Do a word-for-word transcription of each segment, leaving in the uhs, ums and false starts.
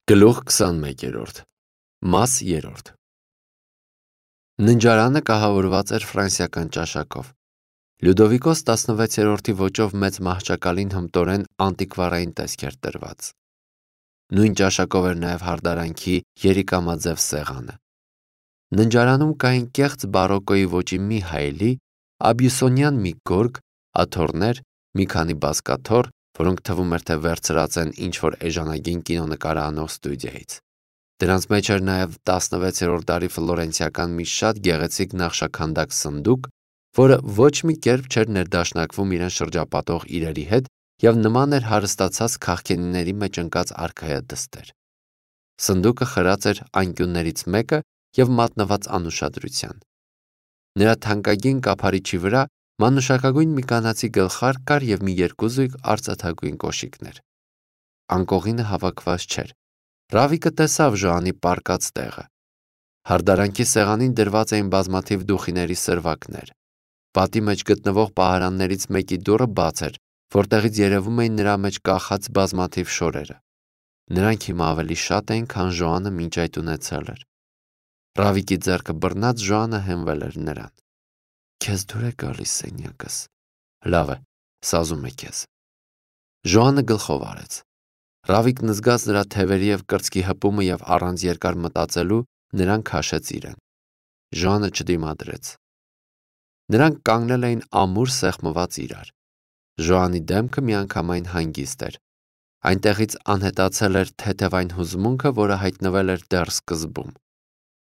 Գլուխ քսանմեկերորդ Մաս երրորդ Ննջարանը կահավորված էր ֆրանսիական ճաշակով։ Լյուդովիկոս տասնվեցերորդի ոճով մեծ մահճակալին հմտորեն անտիկվարային տեսք էր տրված։ Նույն ճաշակով էր նաև հարդարանքի երիկամաձև սեղանը։ Ննջարանում կային կեղծ բարոկոյի ոճի մի հայելի, աբյուսոնյան մի գորգ, աթոռներ, մի քանի բազկաթոռ, որոնք թվում էր, թե վերցրած են ինչ-որ էժանագին կինոնկարահանող ստուդիայից։ Դրանց մեջ էր նաև տասնվեցերորդ դարի ֆլորենցիական մի շատ գեղեցիկ նախշաքանդակ սնդուկ, որը ոչ մի կերպ չէր ներդաշնակվում իրեն շրջապատող իրերի հետ և նման էր հարստացած քաղքենիների մեջ ընկած արքայադստեր։ Սնդուկը խրած էր անկյուններից մեկը և մատնված անուշադրության։ Նրա թանկագին կափարիչի վրա մանուշակագույն մի կանացի գլխարկ կար և մի երկու զույգ արծաթագույն կոշիկներ։ Անկողինը հավաքված չէր։ Ռավիկը տեսավ Ժոանի պառկած տեղը։ Հարդարանքի սեղանին դրված էին բազմաթիվ դուխիների սրվակներ։ Պատի մեջ գտնվող պահարաններից մեկի դուռը բաց էր, որտեղից երևում էին նրա մեջ կախած բազմաթիվ շորերը։ Նրանք հիմա ավելի շատ էին, քան Ժոանը մինչ այդ ունեցել էր։ Ռավիկի ձեռքը բռնած Ժոանը հենվել էր նրան։ Քեզ դուր է գալիս սենյակս։ Լավ է, սազում է քեզ։ Ժոանը գլխով արեց։ Ռավիկն զգաց նրա թևերի և կրծքի հպումը և առանց երկար մտածելու նրան քաշեց իրեն։ Ժոանը չդիմադրեց։ Նրանք կանգնել էին ամուր սեղմված իրար։ Ժոանի դեմքը միանգամայն հանգիստ էր։ Այնտեղից անհետացել էր թեթև այն հուզմունքը, որը հայտնվել էր դեռ սկզբում։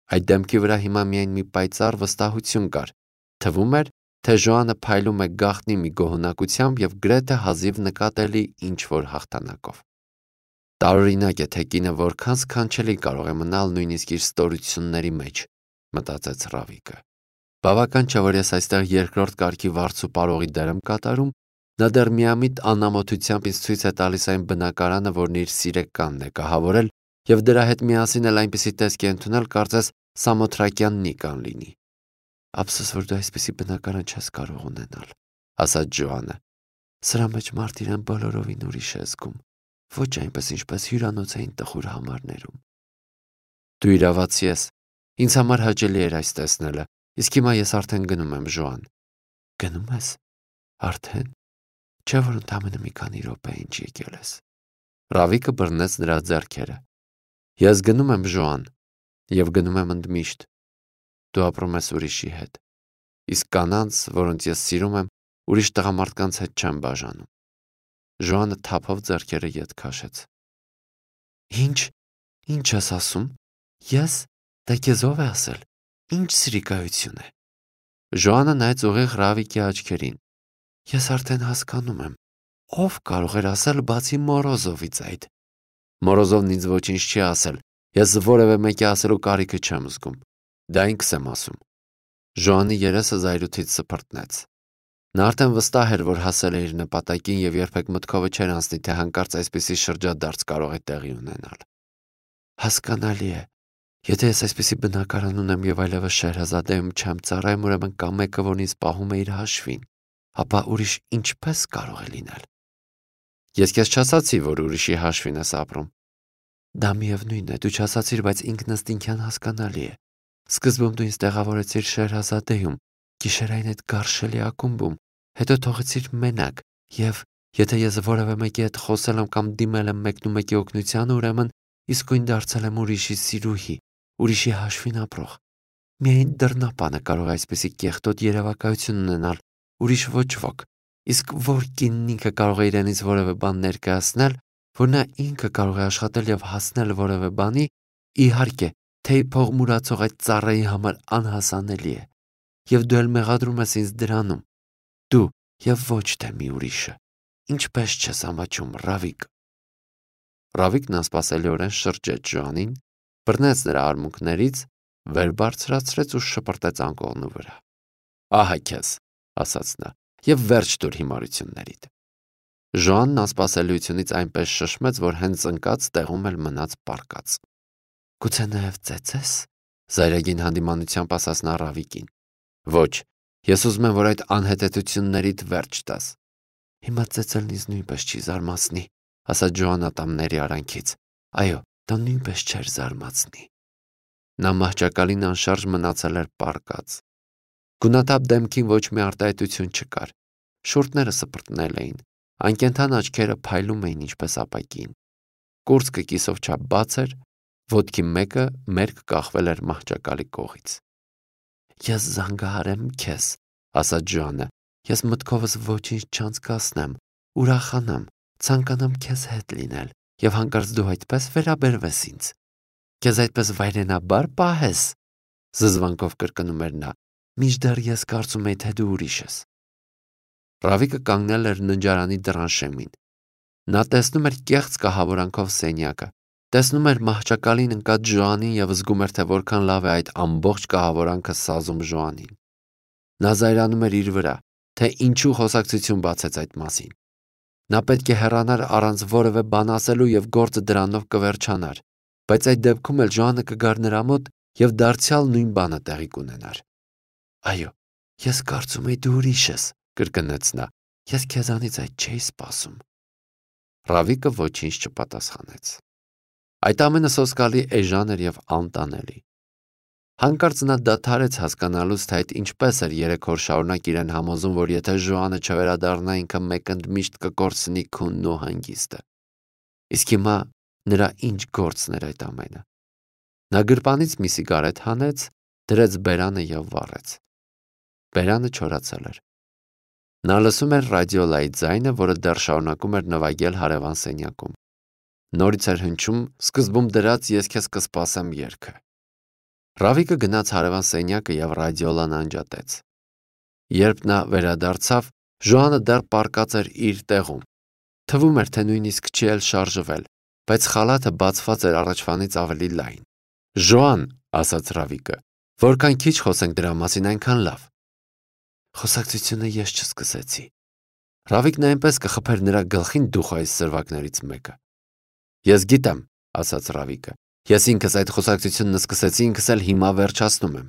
Այդ դեմքի վրա հիմա միայն մի պայծառ վստահություն կար։ Թվում էր, թե Ժոանը փայլում է գաղտնի մի գոհունակությամբ և գրեթե հազիվ նկատելի ինչ-որ հաղթանակով։ Տարօրինակ է, թե կինը որքան սքանչելի կարող է մնալ նույնիսկ իր ստորությունների մեջ, մտածեց Ռավիկը։ Բավական չէ, որ ես այստեղ երկրորդ կարգի վարձու պարողի դեր եմ կատարում, նա դեռ միամիտ անամոթությամբ ինձ ցույց է տալիս այն բնակարանը, որն իր սիրեկանն է կահավորել, և դրա հետ միասին էլ այնպիսի տեսք է ընդունել, կարծես Սամոթրակյան Նիկան լինի։ Ափսոս, որ դու այսպիսի բնակարան չես կարող ունենալ, ասաց Ժոանը։ Սրա մեջ մարդ իրեն բոլորովին ուրիշ է զգում, ոչ այնպես, ինչպես հյուրանոցային տխուր համարներում։ Դու իրավացի ես։ Ինձ համար հաճելի էր այս տեսնելը, իսկ հիմա ես արդեն գնում եմ, Ժոան։ Գնում ես։ Արդեն։ Չէ՞ որ ընդամենը մի քանի րոպե ինչ եկել ես։ Ռավիկը բռնեց նրա ձեռքերը։ Ես գնում եմ, Ժոան, և գնում եմ ընդմիշտ։ Դու ապրում ես ուրիշի հետ։ Իսկ կանանց, որոնց ես սիրում եմ, ուրիշ տղամարդկանց հետ չեմ բաժանում։ Ժոանը թափով ձեռքերը ետ քաշեց։ Ինչ, ինչ ես ասում։ Ես, դա քեզ ով է ասել։ Ինչ սրիկայություն է։ Ժոանը նայեց ուղիղ Ռավիկի աչքերին։ Ես արդեն հասկանում եմ։ Ով կարող էր ասել բացի Մորոզովից այդ։ Մորոզովն ինձ ոչինչ չի ասել։ Ես որևէ մեկի ասելու կարիքը չեմ զգում։ Դա ինքս եմ ասում։ Ժոանի երեսը զայրույթից սփռտնեց։ Նա արդեն վստահ էր, որ հասել է իր նպատակին և երբեք մտքովը չէր անցնի, թե հանկարծ այսպիսի շրջադարձ կարող է տեղի ունենալ։ Հասկանալի է։ Եթե ես այսպիսի բնակարան ունեմ և այլևս Շեհրազադեում չեմ ծառայում, ուրեմն կա մեկը, որն ինձ պահում է իր հաշվին, ապա ուրիշ ինչպես կարող է լինել։ Ես քեզ չասացի, որ ուրիշի հաշվին ես ապրում։ Դա միևնույն է, դու չասացիր, բայց ինքնըստինքյան հասկանալի է։ Սկզբում դու ինձ տեղավորեցիր Շեհրազադեում, գիշերային այդ գարշելի ակումբում, հետո թողեցիր մենակ, և եթե ես որևէ մեկի հետ խոսել եմ կամ դիմել եմ մեկնումեկի օգնությանը, ուրեմն իսկույն դարձել եմ ուրիշի սիրուհի, ուրիշի հաշվին ապրող։ Միայն դռնապանը կարող է այսպիսի կեղտոտ երևակայություն ունենալ, ուրիշ ոչ ոք։ Իսկ որ կինն ինքը կարող է իրենից որևէ բան ներկայացնել, որ նա ինքը կարող է աշխատել և հասնել որևէ բանի, իհարկե, թեյ փող մուրացող այդ ծառայի համար անհասանելի է։ Եվ դու էլ մեղադրում ես ինձ դրանում։ Դու և ոչ թե մի ուրիշը։ Ինչպես չես ամաչում, Ռավիկ։ Ռավիկն անսպասելիորեն շրջեց Ժոանին, բռնեց նրա արմունկներից, վեր բարձրացրեց ու շպրտեց անկողնու վրա։ Ահա քեզ, ասաց նա, և վերջ տուր հիմարություններիդ։ Ժոանն անսպասելիությունից այնպես շշմեց, որ հենց ընկած տեղում էլ մնաց պառկած։ Գուցե նաև ծեծես, զայրագին հանդիմանությամբ ասաց նա Ռավիկին։ Ոչ, ես ուզում եմ, որ այդ անհետեթություններիդ վերջ տաս։ Հիմա ծեծելն ինձ նույնպես չի զարմացնի, ասաց Ժոան ատամների արանքից։ Այո, դա նույնպես չէր զարմացնի։ Նա մահճակալին անշարժ մնացել էր պառկած։ Գունաթափ դեմքին ոչ մի արտահայտություն չկար։ Շուրթները սպրտնել էին, անկենդան աչքերը փայլում էին ինչպես ապակին։ Կուրծքը կիսով չափ բաց էր, ոտքի մեկը մերկ կախվել էր մահճակալի կողից։ Ես զանգահարեմ քեզ, ասաց Ժոանը, ես մտքովս ոչինչ չանցկացնեմ, ուրախանամ, ցանկանամ քեզ հետ լինել, եւ հանկարծ դու այդպես վերաբերվես ինձ։ Քեզ այդպես վայրենաբար պահես, զզվանքով կրկնում էր նա, մինչդեռ ես կարծում եի, թե դու ուրիշ ես։ Ռավիկը կանգնել էր ննջարանի դռան շեմին։ Նա տեսնում էր կեղծ կահավորանքով սենյակը, տեսնում էր մահճակալին ընկած Ժոանին եւ զգում էր, թե որքան լավ է այդ ամբողջ կահավորանքը սազում Ժոանին։ Նա զայրանում էր իր վրա, թե ինչու խոսակցություն բացեց այդ մասին։ Նա պետք է հեռանար առանց որևէ բան ասելու եւ գործը դրանով կվերջանար, բայց այդ դեպքում էլ Ժոանը կգար նրա մոտ եւ դարձյալ նույն բանը տեղի կունենար։ Այո, ես կարծում եի դու ուրիշ ես, կրկնեց նա։ Ես քեզանից այդ չէի սպասում։ Ռավիկը ոչինչ չպատասխանեց։ Այդ ամենը սոսկալի էժան էր եւ անտանելի։ Հանկարծ նա դադարեց հասկանալուց, թե այդ ինչպես էր երեք օր շարունակ իրեն համոզում, որ եթե Ժոանը չվերադառնա, ինքը մեկընդ միշտ կկորցնի քունն ու հանգիստը։ Իսկ հիմա նրա ինչ գործն էր այդ ամենը։ Նա գրպանից մի սիգարետ հանեց, դրեց բերանը եւ վառեց։ Բերանը չորացել էր։ Նա լսում էր ռադիոլայի ձայնը, որը դեռ շարունակում էր նվագել հարևան սենյակում։ Նորից էր հնչում սկզբում դրած ես քեզ կսպասեմ երգը։ Ռավիկը գնաց հարևան սենյակը եւ ռադիոլան անջատեց։ Երբ նա վերադարձավ, Ժոանը դեռ պառկած էր իր տեղում։ Թվում էր, թե նույնիսկ չի էլ շարժվել, բայց խալաթը բացված էր առաջվանից ավելի լայն։ Ժոան, ասաց Ռավիկը, որքան քիչ խոսենք դրա մասին, այնքան լավ։ Խոսակցությունը ես չսկսեցի։ Ռավիկն այնպես կխփեր նրա գլխին դուխ այս սրվակներից մեկը։ Ես գիտեմ, ասաց Ռավիկը։ Ես ինքս այդ խոսակցությունն սկսեցի, ինքս էլ հիմա վերջացնում եմ։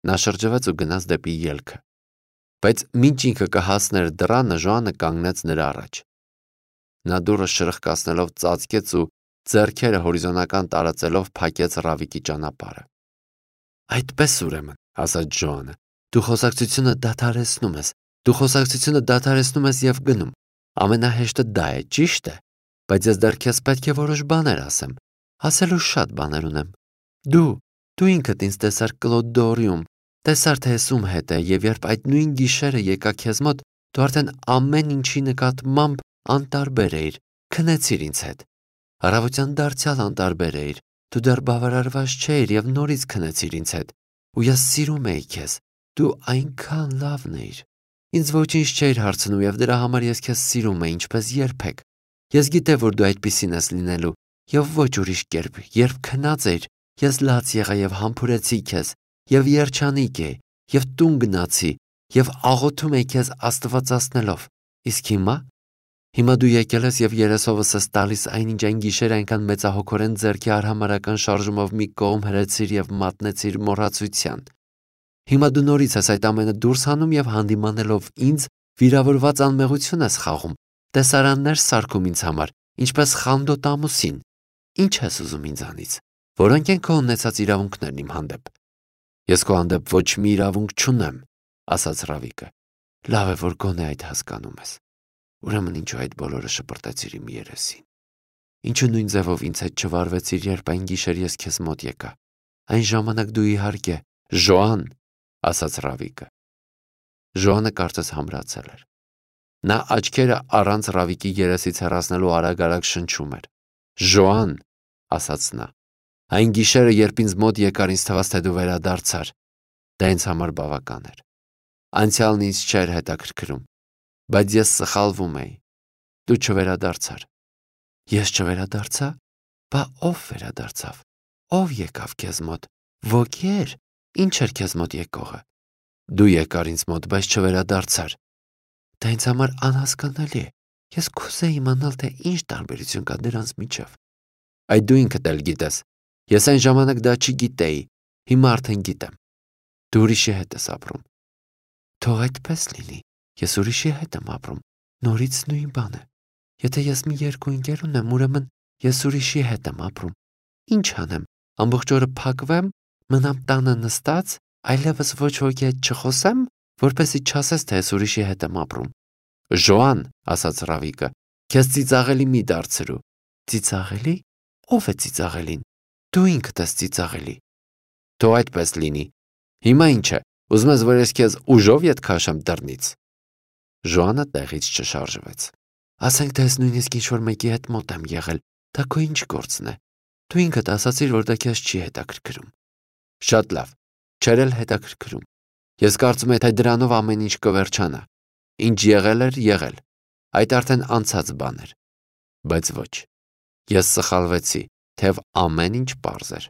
Նա շրջվեց ու գնաց դեպի ելքը։ Բայց մինչ ինքը կհասներ դռանը, Ժոանը կանգնեց նրա առաջ։ Նա դուռը շրխկացնելով ծածկեց ու ձեռքերը հորիզոնական տարածելով փակեց Ռավիկի ճանապարհը։ Այդպես ուրեմն, ասաց Ժոանը, դու խոսակցությունը դադարեցնում ես։ Դու խոսակցությունը դադարեցնում ես եւ գնում։ Ամենահեշտը դա է, ճիշտ է, բայց ես դեռ քեզ պետք է որոշ բաներ ասեմ։ Ասելու շատ բաներ ունեմ։ Դու, դու ինքդ ինձ տեսար Կլոդորիում, տեսար թե ես ում հետ է, եւ երբ այդ նույն գիշերը եկա քեզ մոտ, դու արդեն ամեն ինչի նկատմամբ անտարբեր էիր, քնեցիր ինձ հետ։ Առավոտյան դարձյալ անտարբեր էիր, դու դեռ բավարարված չէիր եւ նորից քնեցիր ինձ հետ, ու ես սիրում էի քեզ, դու այնքան լավն էիր։ Ինձ ոչինչ չէիր հարցնում եւ դրա համար ես քեզ սիրում էի, ինչպես երբեք։ Ես գիտեմ, որ դու այդպիսին ես լինելու, եւ ոչ ուրիշ կերպ, երբ քնած էիր, ես լաց եղա եւ համբուրեցի քեզ, եւ երջանիկ էի, եւ տուն գնացի, եւ աղոթում էի քեզ աստվածացնելով։ Իսկ հիմա, հիմա դու եկել ես եւ երեսովս ես տալիս այնինչ այն գիշեր այնքան մեծահոգորեն ձեռքի արհամարական շարժումով մի կողմ հրեցիր եւ մատնեցիր մոռացության։ Հիմա դու նորից ես այդ ամենը դուրս հանում եւ հանդիմանելով ինձ վիրավորված անմեղություն ես խաղում, տեսարաններ սարքում ինձ համար, ինչպես խանդոտ ամուսին։ Ինչ ես ուզում ինձանից, որոնք են քո ունեցած իրավունքներն իմ հանդեպ։ Ես քո հանդեպ ոչ մի իրավունք չունեմ, ասաց Ռավիկը։ Լավ է, որ գոնե այդ հասկանում ես։ Ուրեմն ինչու այդ բոլորը շպրտեցիր իմ երեսին։ Ինչու նույն ձևով ինձ հետ չվարվեցիր, երբ այն գիշեր ես քեզ մոտ եկա։ Այն ժամանակ դու իհարկե Ժոան, ասաց Ռավիկը։ Ժոանը կարծես համրացել էր։ Նա աչքերը առանց Ռավիկի երեսից հեռացնելու արագ-արագ շնչում էր։ Ժոան, ասաց նա, այն գիշերը, երբ ինձ մոտ եկար, ինձ թվաց, թե դու վերադարձար։ Դա ինձ համար բավական էր։ Անցյալն ինձ չէր հետաքրքրում, բայց ես սխալվում էի։ Դու չվերադարձար։ Ես չվերադարձա։ Բա ով վերադարձավ։ Ով եկավ քեզ մոտ։ Ոգեր։ Ինչ էր քեզ մոտ եկողը։ Դու եկար ինձ մոտ, բայց չվերադարձար։ Դա ինձ համար անհասկանալի է։ Ես կուզեի իմանալ, թե ինչ տարբերություն կա դրանց միջև։ Այդ դու ինքդ էլ գիտես։ Ես այն ժամանակ դա չգիտեի, հիմա արդեն գիտեմ։ Դու ուրիշի հետ ես ապրում։ Թող այդպես լինի։ Ես ուրիշի հետ եմ ապրում։ Նորից նույն բանը։ Եթե ես մի երկու ընկեր ունեմ, ուրեմն ես ուրիշի հետ եմ ապրում, Ինչ անեմ, ամբողջ օրը փակվեմ, մնամ տանը նստած, այլևս ոչ ոքի հետ չխոսեմ, որպեսզի չասես, թե ես ուրիշի հետ եմ ապրում։ Ժոան, ասաց Ռավիկը, քեզ ծիծաղելի մի դարձրու։ Ծիծաղելի։ Ո՞վ է ծիծաղելին։ Դու ինքդ ես ծիծաղելի։ Թող այդպես լինի։ Հիմա ինչ է, ուզում ես, որ ես քեզ ուժով ետ քաշեմ դռնից։ Ժոանը տեղից չշարժվեց։ Ասենք թե ես նույնիսկ ինչ-որ մեկի հետ մոտ եմ եղել, դա քո ինչ գործն է։ Դու ինքդ ասացիր, որ դա քեզ չի հետաքրքրում։ Շատ լավ, չէր էլ հետաքրքրում։ Ես կարծում եմ, թե դրանով ամեն ինչ կվերջանա։ Ինչ եղել էր, եղել։ Այդ արդեն անցած բան էր։ Բայց ոչ։ Ես սխալվեցի, թեև ամեն ինչ պարզ էր։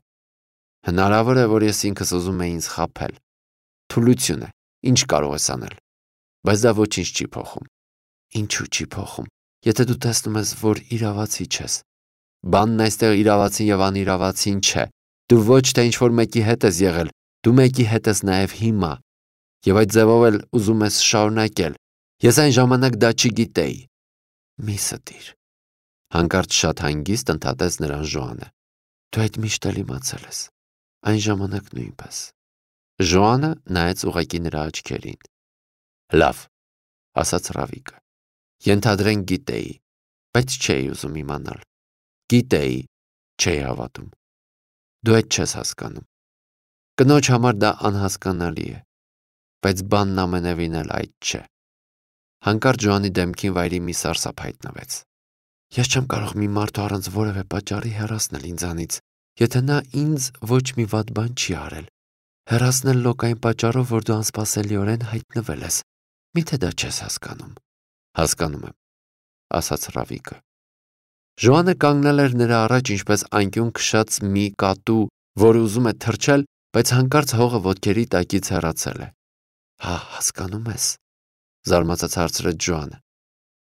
Հնարավոր է, որ ես ինքս ուզում էի ինձ խաբել։ Թուլություն է, ինչ կարող ես անել։ Բայց դա ոչինչ չի փոխում։ Ինչու չի փոխում, եթե դու տեսնում ես, որ իրավացի չես։ Բանն այստեղ իրավացին եւ անիրավացին չէ։ Դու ոչ թե ինչ-որ մեկի հետ ես եղել, դու մեկի հետ ես նաեւ հիմա։ Եվ այդ ձևով էլ ուզում ես շարունակել։ Ես այն ժամանակ դա չգիտեի։ Մի ստիր։ Հանկարծ շատ հանգիստ ընդհատեց նրան Ժոանը։ Դու այդ միշտ էլ իմացել ես։ Այն ժամանակ նույնպես։ Ժոանը նայեց ուղղակի նրա աչքերին։ Լավ, ասաց Ռավիկը։ Ենթադրենք գիտեի, բայց չէի ուզում իմանալ։ Գիտեի, չէի հավատում։ Դու այդ չես հասկանում։ Կնոջ համար դա անհասկանալի է, բայց բանն ամենևին էլ այդ չէ։ Հանկարծ Ժոանի դեմքին վայրի մի սարսափ հայտնվեց։ Ես չեմ կարող մի մարդու առանց որևէ պատճառի հեռացնել ինձանից, եթե նա ինձ ոչ մի վատ բան չի արել։ Հեռացնել լոկային պատճառով, որ դու անսպասելիորեն հայտնվել ես։ Միթե դա չես հասկանում։ Հասկանում եմ, ասաց Ռավիկը։ Ժոանը կանգնել էր նրա առաջ ինչպես անկյուն քշած մի կատու, որ ուզում է թռչել, բայց հանկարծ հողը ոտքերի տակից հեռացել է։ Հա, հասկանում ես, զարմացած հարցրեց Ժոանը։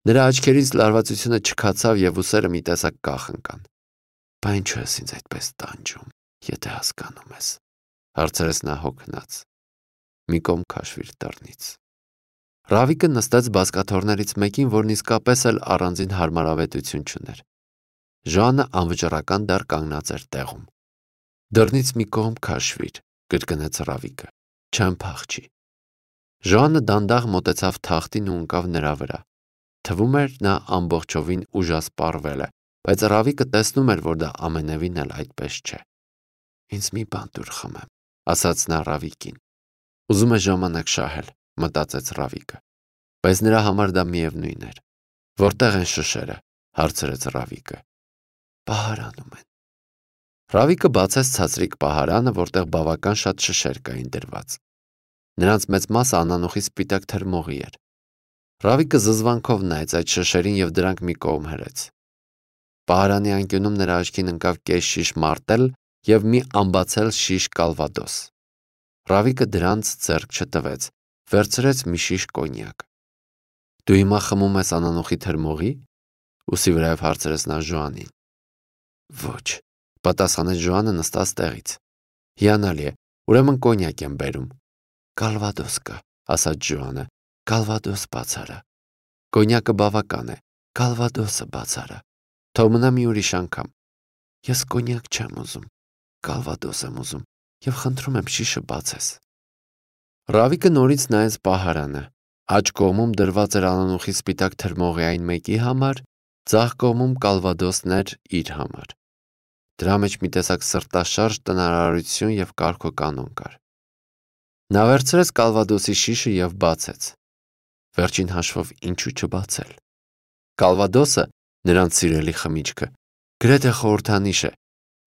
Նրա աչքերից լարվածությունը չքացավ եւ ուսերը մի տեսակ կախ ընկան։ Բա ինչու ես ինձ այդպես տանջում, եթե հասկանում ես, հարցրեց նա հոգնած։ Մի կողմ քաշվիր դռնից։ Ռավիկը նստեց բազկաթոռներից մեկին, որն իսկապես էլ առանձին հարմարավետություն չուներ։ Ժոանը անվճռական դար կանգնած էր տեղում։ Դռնից մի կողմ քաշվիր, կրկնեց Ռավիկը։ Չեմ փախչի։ Ժոանը դանդաղ մոտեցավ թախտին ու ընկավ նրա վրա։ Թվում էր նա ամբողջովին ուժասպառվել է, բայց Ռավիկը տեսնում էր, որ դա ամենևին էլ այդպես չէ։ Ինձ մի բան դուր խմեմ, ասաց նա Ռավիկին։ Ուզում է ժամանակ շահել, մտածեց Ռավիկը, բայց նրա համար դա միևնույն էր։ Որտեղ են շշերը, հարցրեց Ռավիկը։ Պահարանում են։ Ռավիկը բացեց ցածրիկ պահարանը, որտեղ բավական շատ շշեր կային դրված։ Նրանց մեծ մասը անանուխի սպիտակ թրմողի էր։ Ռավիկը զզվանքով նայեց այդ շշերին եւ դրանք մի կողմ հրեց։ Պահարանի անկյունում նրա աչքին ընկավ կես շիշ մարտել եւ մի ամբացել շիշ կալվադոս։ Ռավիկը դրանց ձեռք չտվեց, վերցրեց մի շիշ կոնյակ։ Դու հիմա խմում ես անանուխի թրմողի։ Ուսի վրայով հարցրեց նա Ժոանին։ Ոչ, պատասխանեց Ժոանը նստած տեղից։ Հիանալի է, ուրեմն կոնյակ եմ բերում։ Կալվադոս կա, ասաց Ժոանը։ Կալվադոս բացարա։ Կոնյակը բավական է, կալվադոսը բացարա։ Թող մնա մի ուրիշ անգամ։ Ես կոնյակ չեմ ուզում, կալվադոս եմ ուզում եւ խնդրում եմ շիշը բացես։ Ռավիկը նորից նայեց պահարանը։ Աջ կողմում դրված էր անանուխի սպիտակ թրմողի այն մեկի համար, ձախ կողմում կալվադոսն էր իր համար։ Դրա մեջ մի տեսակ սրտաշարժ տնարարություն եւ կարգոկանոն կար։ Նա վերցրեց կալվադոսի շիշը եւ բացեց։ Վերջին հաշվով ինչու չբացել։ Կալվադոսը, նրանց սիրելի խմիչքը, գրեթե խորհրդանիշ է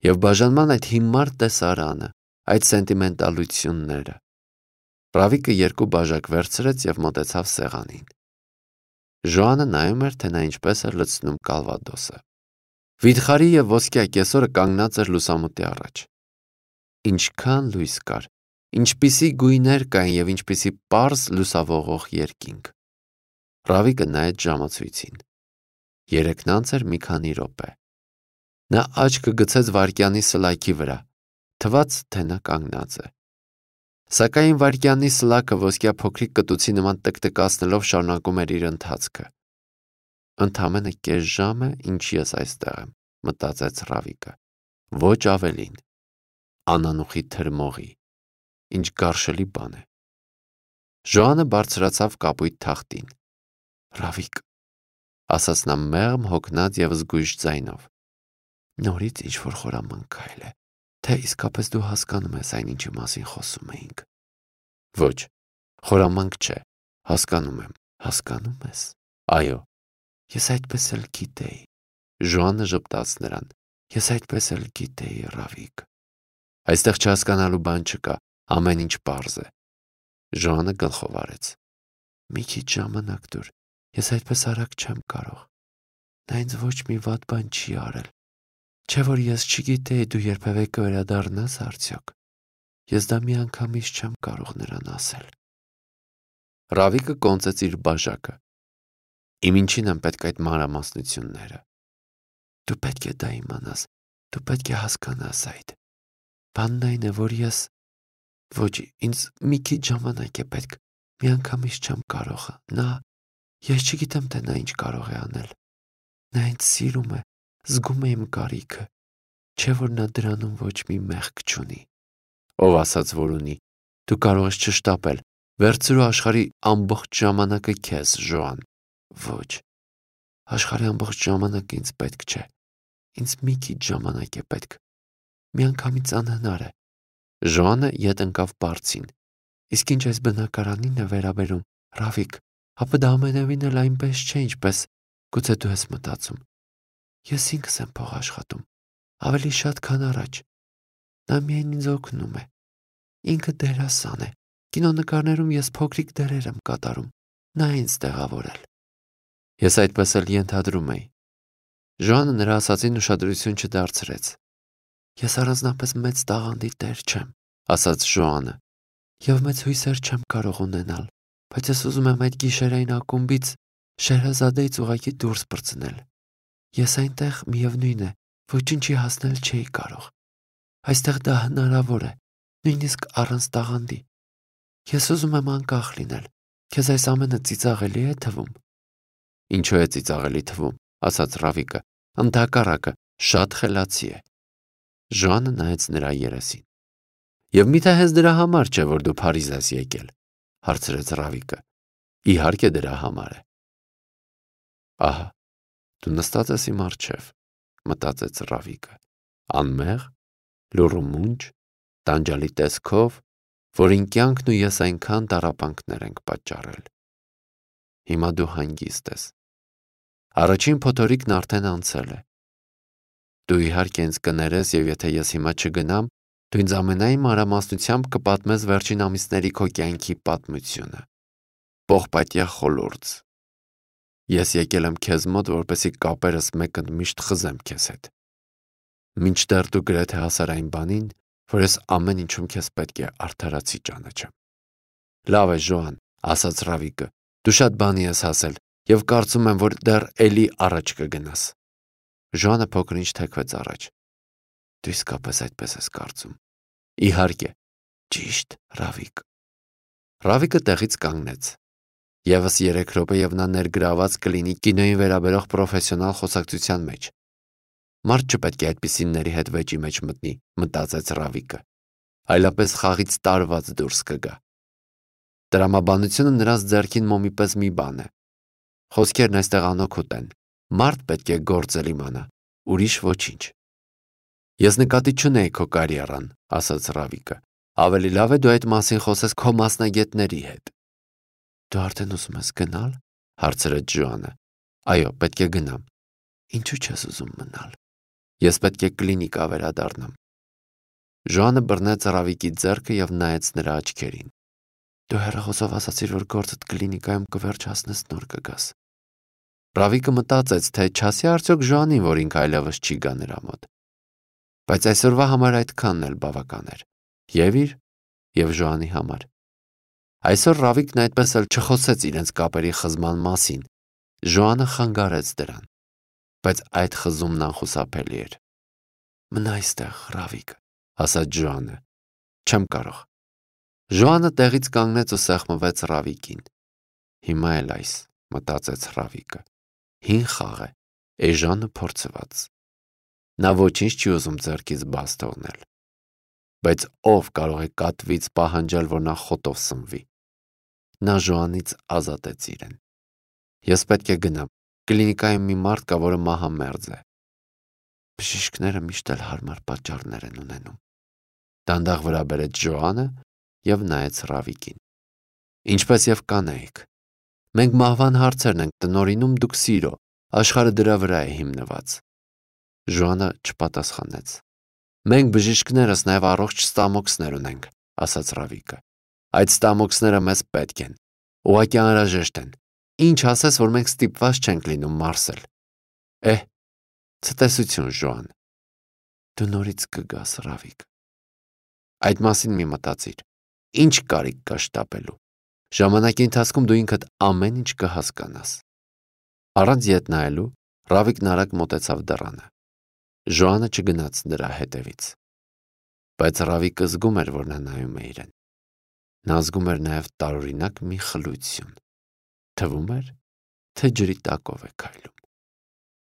եւ բաժանման այդ հիմար տեսարանը, այդ սենտիմենտալությունները։ Ռավիկը երկու բաժակ վերցրեց եւ մոտեցավ սեղանին։ Ժոանը նայում էր, թե նա ինչպես է լցնում կալվադոսը։ Վիթխարի եւ ոսկյա կեսորը կանգնած էր լուսամուտի առաջ։ Ինչքան լույս կար, ինչպիսի գույներ կային եւ ինչպիսի պարզ լուսավորող երկինք։ Ռավիկը նայեց ժամացույցին։ Երեքն անց էր մի քանի րոպե։ Նա աչքը գցեց վայրկյանի սլայքի վրա, թվաց, թե նա կանգնած է։ Սակայն վայրկյանի սլաքը ոսկյա փոքրիկ կտուցի նման տկտկացնելով շարունակում էր իր ընթացքը։ Ընդամենը կես ժամ է, ինչ ես այստեղ եմ, մտածեց Ռավիկը։ ոչ ավելին, անանուխի թրմողի, ինչ գարշելի բան է։ Ժոանը բարձրացավ կապույտ թախտին։ Ռավիկ, ասաց նա մեղմ հոգնած և զգույշ ձայնով, նորից ինչ-որ խորամանկ քայլ է, թե իսկապես դու հասկանում ես այն, ինչի մասին խոսում էինք։ Ոչ, խորամանկ չէ, հասկանում եմ, հասկանում ես։ Այո, ես այդպես էլ գիտեի։ Ժոանը ժպտաց նրան, ես այդպես էլ գիտեի, Ռավիկ։ Այստեղ չհասկանալու բան չկա, ամեն ինչ պարզ է։ Ժոանը գլխով արեց։ Մի քիչ ժամանակ տուր, ես այդպես արագ չեմ կարող։ Նա ինձ ոչ մի վատ բան չի արել։ Չէ որ ես չգիտեի դու երբևէ կվերադառնաս արդյոք։ Ես դա միանգամից չեմ կարող նրան ասել։ Ռավիկը կոնծեց իր բաժակը։ Իմ ինչին են պետք այդ մանրամասնությունները։ Դու պետք է դա իմանաս, դու պետք է հասկանաս այդ։ Բանն այն է, որ ես ոչ, ինձ մի քիչ ժամանակ է պետք, միանգամից չեմ կարող։ Նա, ես չգիտեմ, թե նա ինչ կարող է անել։ Նա ինձ սիրում է, զգում է իմ կարիքը, չէ որ նա դրանում ոչ մի մեղք չունի։ Ով ասաց, որ ունի, դու կարող ես չշտապել, վերցրու աշխարհի ամբողջ ժամանակը քեզ, Ժոան։ Ոչ, աշխարհի ամբողջ ժամանակը ինձ պետք չէ, ինձ մի քիչ ժամանակ է պետք, միանգամից անհնար է։ Ժոանը ետ ընկավ պարծին, իսկ ինչ այս բնակարանին է վերաբերում, Ռավիկ, ապա դա ամենևին էլ այնպես չէ, ինչպես գուցե դու ես մտածում։ Ես ինքս եմ փող աշխատում, ավելի շատ, քան առաջ։ Նա միայն ինձ օգնում է։ Ինքը դերասան է։ Կինոնկարներում ես փոքրիկ դերեր եմ կատարում։ Նա ինձ տեղավորել։ Ես այդպես էլ ենթադրում էի։ Ժոանը նրա ասածին ուշադրություն չդարձրեց։ Ես առանձնապես մեծ տաղանդի տեր չեմ, ասաց Ժոանը, և մեծ հույսեր չեմ կարող ունենալ, բայց ես ուզում եմ այդ գիշերային ակումբից Շեհրազադեից ուղղակի դուրս պրծնել։ Ես այնտեղ միևնույն է, ոչինչի հասնել չէի կարող։ Այստեղ դա հնարավոր է, նույնիսկ առանց տաղանդի։ Ես ուզում եմ անկախ լինել։ Քեզ այս ամենը ծիծաղելի է թվում։ Ինչու է ծիծաղելի թվում, ասաց Ռավիկը, ընդհակառակը, շատ խելացի է։ Ժոանը նայեց նրա երեսին։ Եվ միթե հենց դրա համար չէ, որ դու Փարիզ ես եկել, հարցրեց Ռավիկը։ Իհարկե դրա համար է։ Ահա, դու նստած ես իմ առջև, մտածեց Ռավիկը, անմեղ, լուռ ու մունջ, տանջալի տեսքով, որին կյանքն ու ես այնքան տառապանքներ ենք պատճառել։ Հիմա դու հանգիստ ես։ Առաջին փոթորիկն արդեն անցել է։ Դու իհարկե ինձ կներես, և եթե ես հիմա չգնամ, դու ինձ ամենայն մանրամասնությամբ կպատմես վերջին ամիսների քո կյանքի պատմությունը։ Պողպատյա խոլորձ։ Ես եկել եմ քեզ մոտ, որպեսզի կապերս մեկընդմիշտ խզեմ քեզ հետ։ Մինչդեռ դու գրեթե հասար այն բանին, որ ես ամեն ինչում քեզ պետք է արդարացի ճանաչեմ։ Լավ է, Ժոան, ասաց Ռավիկը, դու շատ բանի ես հասել, և կարծում եմ, որ դեռ էլի առաջ կգնաս։ Ժոանը փոքր-ինչ թեքվեց առաջ։ Դու իսկապես այդպես ես կարծում։ Իհարկե, ճիշտ, Ռավիկ։ Ռավիկը տեղից կանգնեց։ Եվս երեք րոպե և նա ներգրաված կլինի կինոյին վերաբերող պրոֆեսիոնալ խոսակցության մեջ։ Մարդ չպետք է այդպիսիների հետ վեճի մեջ մտնի, մտածեց Ռավիկը։ Այլապես խաղից տարված դուրս կգա։ Տրամաբանությունը նրանց ձեռքին մոմի պես մի բան է։ Խոսքերն այստեղ անօգուտ են։ Մարդ պետք է գործել իմանա, ուրիշ ոչինչ։ Ես նկատի չունեի քո կարիերան, ասաց Ռավիկը։ Ավելի լավ է դու այդ մասին խոսես քո մասնագետների հետ։ Դու արդեն ուզում ես գնալ, հարցրեց Ժոանը։ Այո, պետք է գնամ։ Ինչու չես ուզում մնալ։ Ես պետք է կլինիկա վերադառնամ։ Ժոանը բռնեց Ռավիկի ձեռքը և նայեց նրա աչքերին։ Դու հեռախոսով ասացիր, որ գործդ կլինիկայում կվերջացնես, նոր կգաս։ Ռավիկը մտածեց, թե չասի արդյոք Ժոանին, որ ինքը այլևս չի գա նրա մոտ։ Բայց այսօրվա համար այդքանն էլ բավական էր։ Եվ իր, և Ժոանի համար։ Այսօր Ռավիկն այդպես էլ չխոսեց իրենց կապերի խզման մասին։ Ժոանը խանգարեց դրան։ Բայց այդ խզումն անխուսափելի էր։ Մնա այստեղ, Ռավիկ, ասաց Ժոանը։ Չեմ կարող։ Ժոանը տեղից կանգնեց ու սեղմվեց Ռավիկին։ Հիմա էլ այս, մտածեց Ռավիկը։ Հին խաղ է, էժանը փորձված։ Նա ոչինչ չի ուզում ձեռքից բաց թողնել։ Բայց ով կարող է կատվից պահանջել, որ նա խոտով սնվի։ Նա Ժոանից ազատեց իրեն։ Ես պետք է գնամ։ Կլինիկայում մի մարդ կա, որը մահամերձ է։ Բժիշկները միշտ էլ հարմար պատճառներ են ունենում։ Դանդաղ վրա բերեց Ժոանը և նայեց Ռավիկին։ Ինչպես և կանեիք։ Մենք մահվան հարցերն ենք տնօրինում, դուք սիրո, աշխարհը դրա վրա է հիմնված։ Ժոանը չպատասխանեց։ Մենք բժիշկներս նաև առողջ ստամոքսներ ունենք, ասաց Ռավիկը։ Այդ ստամոքսները մեզ պետք են, ուղղակի անհրաժեշտ են։ Ինչ ասես, որ մենք ստիպված չենք լինում մարսել։ Էհ, ցտեսություն, Ժոան։ Դու նորից կգաս, Ռավիկ։ Այդ մասին մի մտածիր։ Ինչ կարիք կա շտապելու։ Ժամանակի ընթացքում դու ինքդ ամեն ինչ կհասկանաս։ Առանց ետ նայելու Ռավիկն արագ մոտեցավ դռանը։ Ժոանը չգնաց նրա հետևից։ Բայց Ռավիկը զգում էր, որ նա նայում է իրեն։ Նա զգում էր նաև տարօրինակ մի խլություն։ Թվում էր, թե ջրի տակով է քայլում։